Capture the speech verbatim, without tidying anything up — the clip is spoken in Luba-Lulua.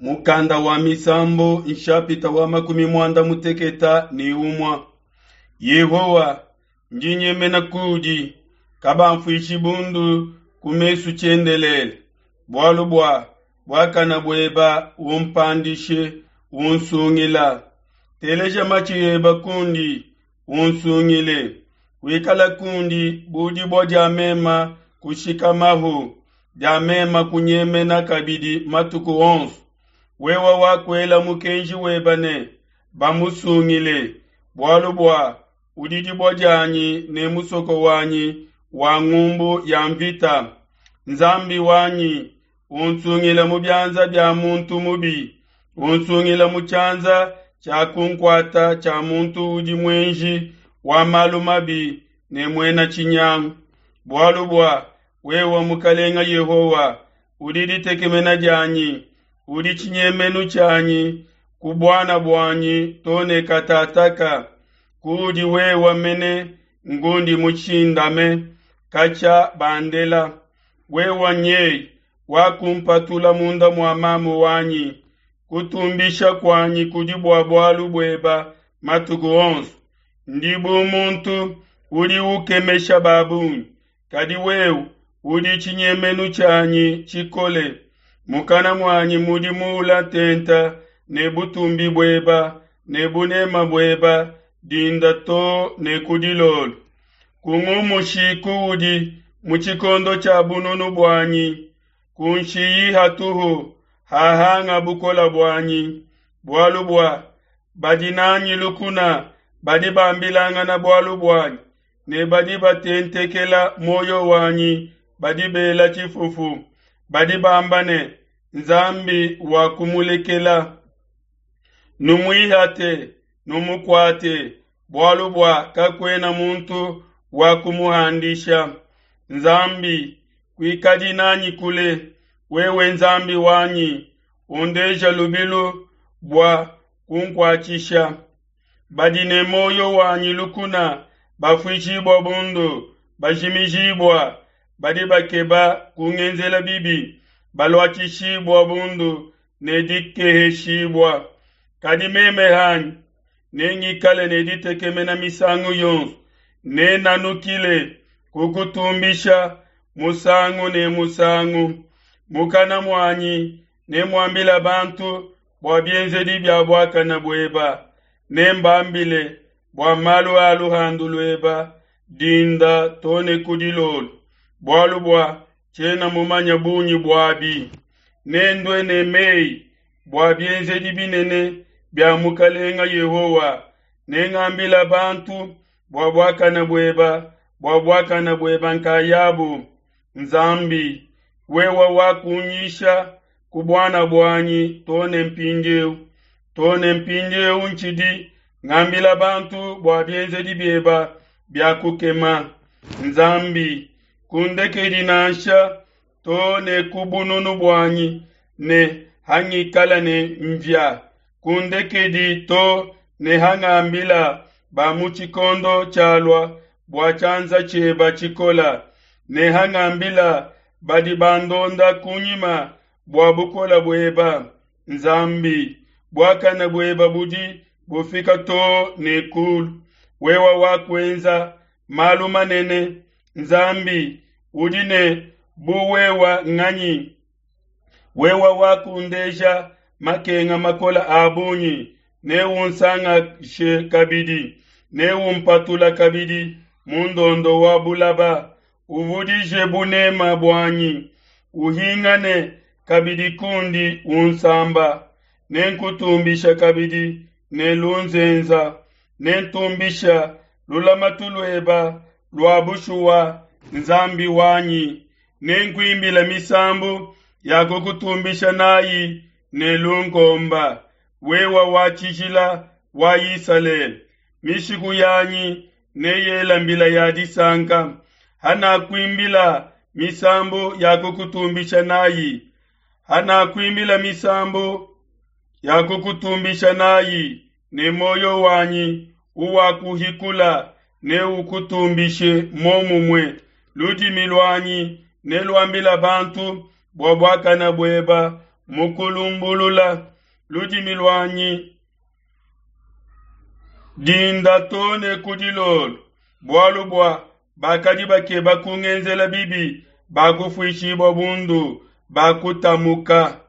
Mukanda wa Misambu nshapita wa makumi muanda muteketa ne umua. Yehowa, ndi nyemena kudi, kabamfuishi bundu ku mesu tshiendelele. Bualu bua buakana bueba umpandishe, unsungila. Teleja matshi eba kundi, unsungile. Wikala kundi bu dibua dia mema kushikamahu, dia mema kunyemena kabidi matuku onso. Wewe wakuela mukenji weba ne bamusungile, bualu bua udi dibua dianyi ne musoko wanyi wa ngumbu ya mvita. Nzambi wanyi, unsungile mu bianza bia muntu mubi, unsungile mu tshianza tshia kunkuata tshia muntu udi muenji wa malu mabi ne muena tshinyangu. Bualu bua wewe Mukalenga Yehowa, udi ditekemena dianyi, udi tshinyemenu tshianyi ku buana buanyi to ne katataka. Kudi wewe mene ngundi mushindame katshia bandela. Wewe nyei wakumpatula munda mua mamu wanyi. Kutumbisha kuanyi kudi bua bualu bueba matuku onso. Ndi bu muntu udi ukemesha babungi, kadi wewe udi tshinyemenu tshianyi tshikole. Mukana muanyi mudi muula tenta ne butumbi bueba ne bunema bueba dinda to ne ku dilolo. Kungumushi kuudi mu tshikondo tshia bununu buanyi, kunshiyi hatuhu hahanga bukola buanyi. Bualu bua badi nanyi lukuna badi bambilangana bualu buanyi, ne badi batentekela muoyo wanyi badi bela tshifufu. Badi bamba ne, Nzambi wakumulekela. Numuihate, numukuate, bualu bua kakuena muntu wa kumuhandisha. Nzambi, kuikadi nanyi kule, wewe Nzambi wanyi, undeja lubilu bua kunkuatshisha. Badi ne muoyo wanyi lukuna bafuishibua bundu, bajimijibua. Badi bakeba kungenzela bibi, baluatshishibua bundu ne dikeheshibua. Kadi meme hanyi nengikale ne ditekemena misangu yonso, nenanukile kukutumbisha musangu ne musangu. Mukana muanyi nemuambila bantu bua bienzedi bia buakana bueba, nembambile bua malu a luhandu lueba dinda to ne ku dilolo, bualu bua tshiena mumanya bungi buabi. Nendue ne meyi bua bienzedi binene bia Mukalenga Yehowa, nengambila bantu bua buakana bueba, bua buakana bueba nkayabu. Nzambi, wewe wakunyisha ku buana buanyi to ne mpindieu, to ne mpindieu ntshidi ngambila bantu bua bienzedi bieba bia kukema. Nzambi, kundekedi nansha to ne ku bununu buanyi ne hangikala ne mvia. Kundekedi to ne hangambila ba mu tshikondo tshialua bua tshianza tshieba tshikola, ne hangambila badi bandonda kunyima bua bukola bueba. Nzambi, buakana bueba budi bufika to ne kulu. Wewe wakuenza malu manene. Nzambi, udi ne bu wewa nganyi? Wewe wakundeja makenga makola a bungi, neunsangashe kabidi, neumpatula kabidi mu ndondo wa bulaba. Uvudije bunema buanyi, uhingane kabidi kundi unsamba. Nenkutumbisha kabidi ne lunzenza, nentumbisha lulamatu lueba lua bushuwa, Nzambi wanyi. Nenkuimbila misambu ya kukutumbisha nayi ne lunkomba, wewe wa tshijila wa Isalele. Mishiku yanyi neyela mbila ya disanka, hanakuimbila misambu ya kukutumbisha nayi, hanakuimbila misambu ya kukutumbisha nayi, ne moyo wanyi uwakuhikula neukutumbishe momumue. Ludimi luanyi neluambila bantu bua buakana bueba, mu kulumbulula ludimi luanyi dinda too ne ku dilolo, bualu bua bakadi bakeba kungenzela bibi bakufuishibua bundu, bakutamuka.